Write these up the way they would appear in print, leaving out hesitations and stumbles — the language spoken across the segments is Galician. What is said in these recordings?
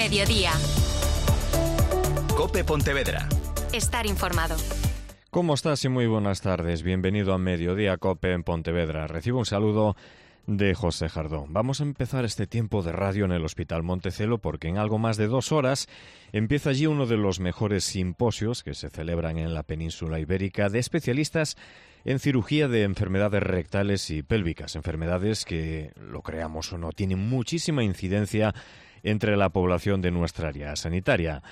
Mediodía. COPE Pontevedra. Estar informado. ¿Cómo estás? Y muy buenas tardes. Bienvenido a Mediodía COPE en Pontevedra. Recibo un saludo de José Jardón. Vamos a empezar este tiempo de radio en el Hospital Montecelo porque en algo más de 2 horas empieza allí uno de los mejores simposios que se celebran en la península ibérica de especialistas en cirugía de enfermedades rectales y pélvicas, enfermedades que, lo creamos o no, tienen muchísima incidencia entre la población de nuestra área sanitaria.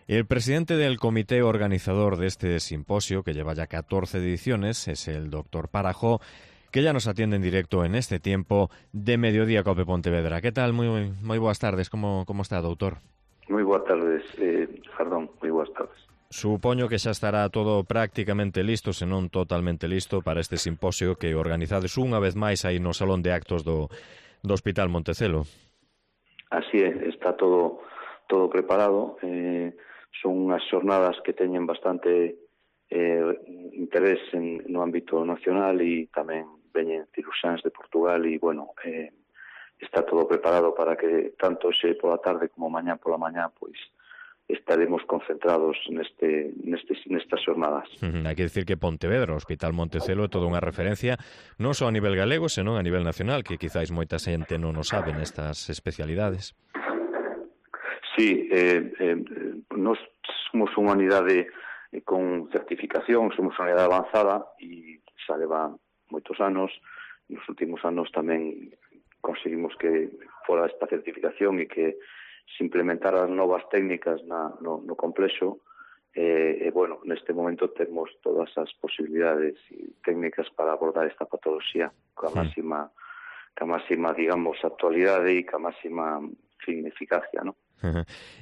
El presidente del comité organizador de este simposio, que lleva ya 14 ediciones, es el doctor Parajó, que ya nos atiende en directo en este tiempo de Mediodía COPE Pontevedra. ¿Qué tal? Muy buenas tardes. ¿Cómo está, doutor? Moi boas tardes, Jardón, moi boas tardes. Supoño que xa estará todo prácticamente listo, se non totalmente listo, para este simposio que organizades unha vez máis aí no Salón de Actos do Hospital Montecelo. Así é, está todo preparado. Son unhas xornadas que teñen bastante interés no ámbito nacional e tamén veñen ciruxáns de Portugal e, bueno, está todo preparado para que tanto xe pola tarde como mañá pola mañá, pois, estaremos concentrados nestas xornadas. Hai que decir que Pontevedra, o Hospital Montecelo, é toda unha referencia non só a nivel galego, senón a nivel nacional, que quizáis moita xente non o sabe nestas especialidades. Sí, nós somos unha unidade con certificación, somos unha unidade avanzada e xa leva moitos anos. Nos últimos anos tamén conseguimos que fora esta certificación e que se implementaran novas técnicas no complexo. Bueno, neste momento temos todas as posibilidades e técnicas para abordar esta patoloxía ca máxima, digamos, actualidade e ca máxima eficacia, non?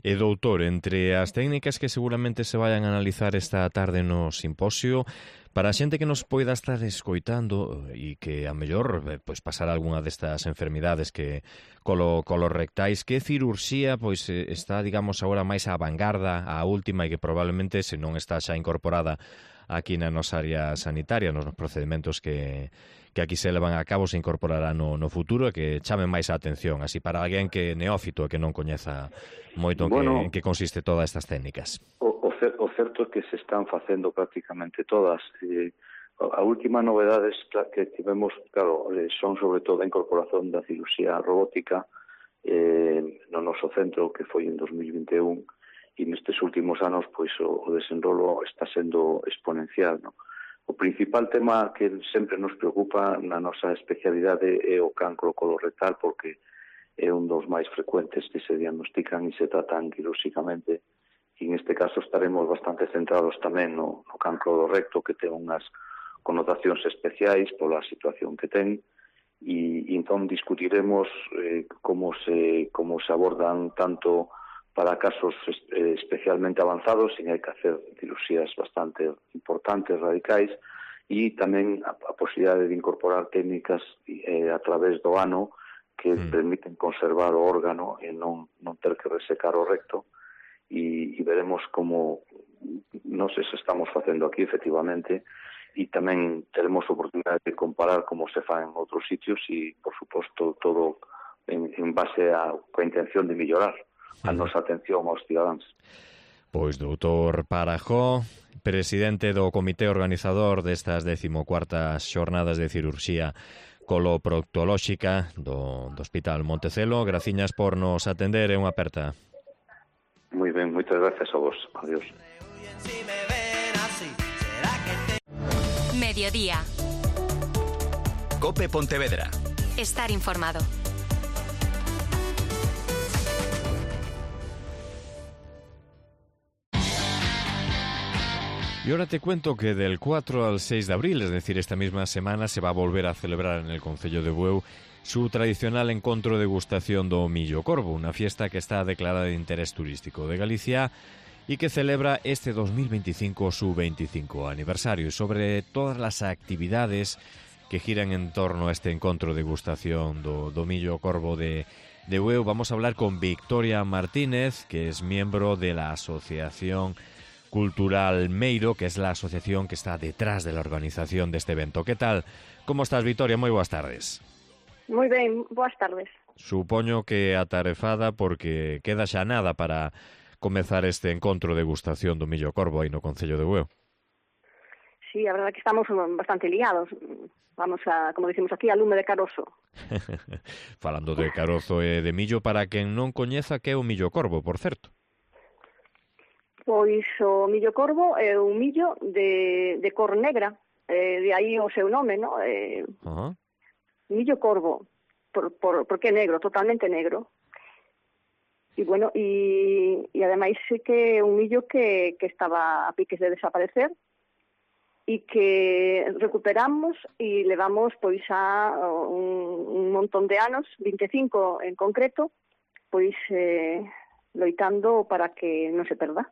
E, doutor, entre as técnicas que seguramente se vayan a analizar esta tarde no simposio, para a xente que nos poida estar escoitando e que a mellor pois pasar algunha destas enfermidades que colorectais, que cirurxía pois está, digamos, agora máis á vanguarda, a última, e que probablemente, se non está xa incorporada aquí na nosa área sanitaria, nos procedementos que aquí se levan a cabo, se incorporará no futuro e que chame máis a atención, así para alguén que é neófito e que non coñeza moito en que consiste todas estas técnicas. O certo é que se están facendo prácticamente todas. A última novedades que tivemos, claro, son sobre todo a incorporación da cirurxía robótica no noso centro, que foi en 2021, e nestes últimos anos pois o desenrolo está sendo exponencial, non? O principal tema que sempre nos preocupa na nosa especialidade é o cancro colorectal, porque é un dos máis frecuentes que se diagnostican e se tratan quirúrxicamente. E neste caso estaremos bastante centrados tamén no cancro do recto, que ten unhas connotacións especiais pola situación que ten, e entón discutiremos como se abordan tanto para casos especialmente avanzados, sin hai que hacer cirurxías bastante importantes, radicais, e tamén a posibilidade de incorporar técnicas a través do ano que permiten conservar o órgano e non ter que resecar o recto, e veremos como non sei se estamos facendo aquí efectivamente, e tamén teremos oportunidade de comparar como se fa en outros sitios e, por suposto, todo en base a intención de mellorar a nosa atención aos cidadáns. Pois, doutor Parajó, presidente do comité organizador destas 14ª xornadas de cirurxía coloproctolóxica do Hospital Montecelo, graciñas por nos atender e unha aperta. Moi ben, moitas gracias a vos. Adiós. Mediodía. COPE Pontevedra. Estar informado. Y ahora te cuento que del 4 al 6 de abril, es decir, esta misma semana, se va a volver a celebrar en el concello de Bueu su tradicional encontro degustación do Millo Corvo, una fiesta que está declarada de interés turístico de Galicia y que celebra este 2025 su 25 aniversario. Y sobre todas las actividades que giran en torno a este encontro degustación do Millo Corvo de Bueu, vamos a hablar con Victoria Martínez, que es miembro de la Asociación Cultural Meiro, que es la asociación que está detrás de la organización de este evento. ¿Qué tal? ¿Cómo estás, Victoria? Moi boas tardes. Moi ben, boas tardes. Supoño que atarefada porque queda xa nada para comezar este encontro de degustación do millo corvo aí no Concello de Bueu. Sí, a verdade que estamos bastante liados. Vamos a, como dicimos aquí, a lume de carozo. Falando de carozo e de millo, para quen non coñeza que é o millo corvo, por certo. Pois o millo corvo é un millo de cor negra, de aí o seu nome, ¿no? Millo corvo, porque é negro, totalmente negro. E bueno, e ademais é que é un millo que estaba a piques de desaparecer e que recuperamos e levamos pois a un montón de anos, 25 en concreto, pois loitando para que non se perda.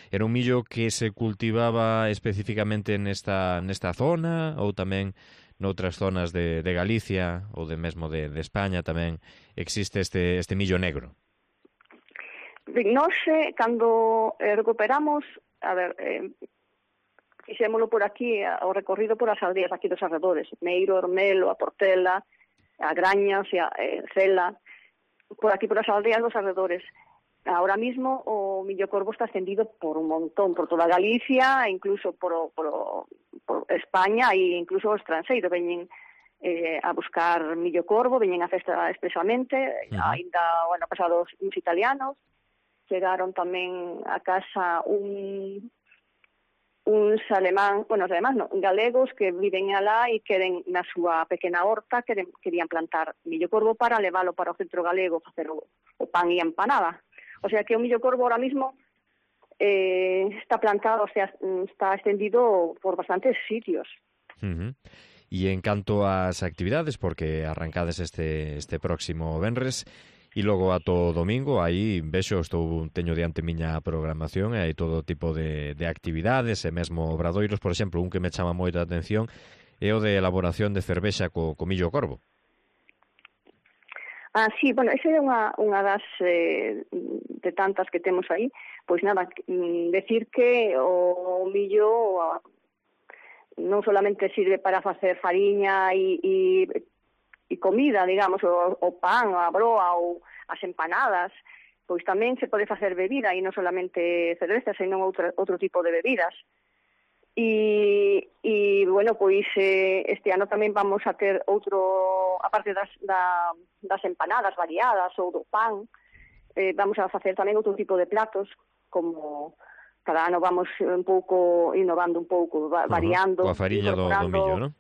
Era un millo que se cultivaba especificamente nesta zona ou tamén noutras zonas de Galicia ou de mesmo de España tamén existe este millo negro? Nós, cando recuperamos, a ver, fixémolo por aquí, o recorrido por as aldeas aquí dos arredores, Meiro, Ormelo, a Portela, a Graña, o sea, Cela, por aquí por as aldeas dos arredores. Ahora mismo o millo corvo está extendido por un montón, por toda Galicia, incluso por España e incluso o estranxeiro veñen a buscar millo corvo, veñen a festa expresamente, ainda o ano pasado uns italianos, chegaron tamén a casa uns alemán, bueno, os alemán non, galegos que viven alá e queren na súa pequena horta, querían plantar millo corvo para leválo para o centro galego, facer o pan e a empanada. O sea que o millo corvo ahora mismo está plantado, o sea, está extendido por bastantes sitios. E en canto ás actividades, porque arrancades este próximo venres, e logo ato domingo, aí vexo, teño diante miña programación e hai todo tipo de actividades e mesmo obradoiros, por exemplo, un que me chama moita atención é o de elaboración de cervexa co millo corvo. Sí, bueno, esa é unha das de tantas que temos aí. Pois nada, decir que o millo non solamente sirve para facer fariña e comida, digamos, o pan, a broa ou as empanadas, pois tamén se pode facer bebida e non solamente cerveza, senón outro tipo de bebidas. E bueno, pois este ano tamén vamos a ter outro, aparte das empanadas variadas ou do pan, vamos a facer tamén outro tipo de platos, como cada ano vamos un pouco innovando un pouco, variando. Coa fariña do millo, non?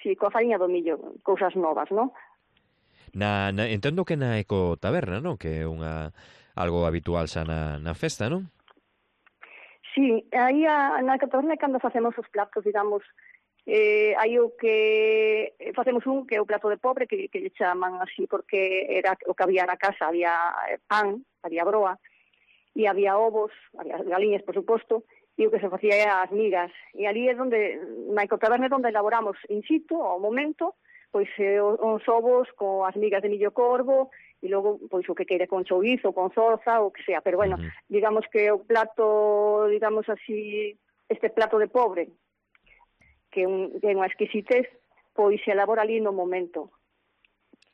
Sí, coa fariña do millo, cousas novas, non? Entendo que na ecotaberna, non? Que é algo habitual xa na festa, non? Sí, aí na ecotaberna cando facemos os platos, digamos, hai o que facemos que é o plato de pobre, que lle chaman así porque era o que había na casa, había pan, había broa, e había ovos, había galiñas, por suposto, e o que se facía era as migas. E ali é na ecotaberna é onde elaboramos in situ, ao momento, pois os ovos coas migas de millo corvo, e logo pois o que queira con chourizo, con zorza, o que sea. Pero bueno, digamos que o plato, digamos así, este plato de pobre, que é unha exquisitez, pois se elabora ali no momento.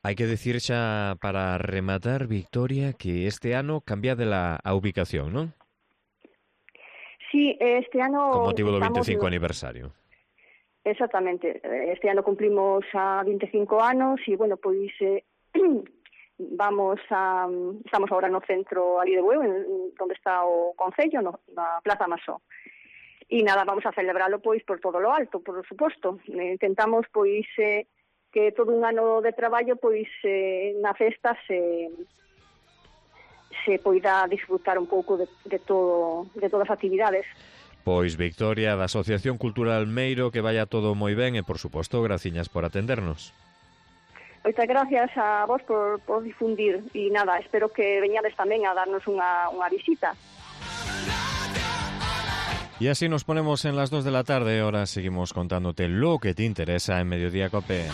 Hai que decir xa para rematar, Victoria, que este ano cambiadela a ubicación, non? Sí, este ano... Con motivo do 25 aniversario. Exactamente. Este ano cumplimos a 25 anos e, bueno, pois estamos agora no centro ali de Bueu, onde está o Concello, na Plaza Masó. E nada, vamos a celebralo pois por todo lo alto, por suposto. Intentamos pois que todo un ano de traballo pois na festa se poida disfrutar un pouco de todas as actividades. Pois Victoria, da Asociación Cultural Meiro, que vaya todo moi ben e, por suposto, graciñas por atendernos. Moitas gracias a vos por difundir e nada, espero que veñades tamén a darnos unha visita. Y así nos ponemos en las 2 de la tarde. Ahora seguimos contándote lo que te interesa en Mediodía Cope.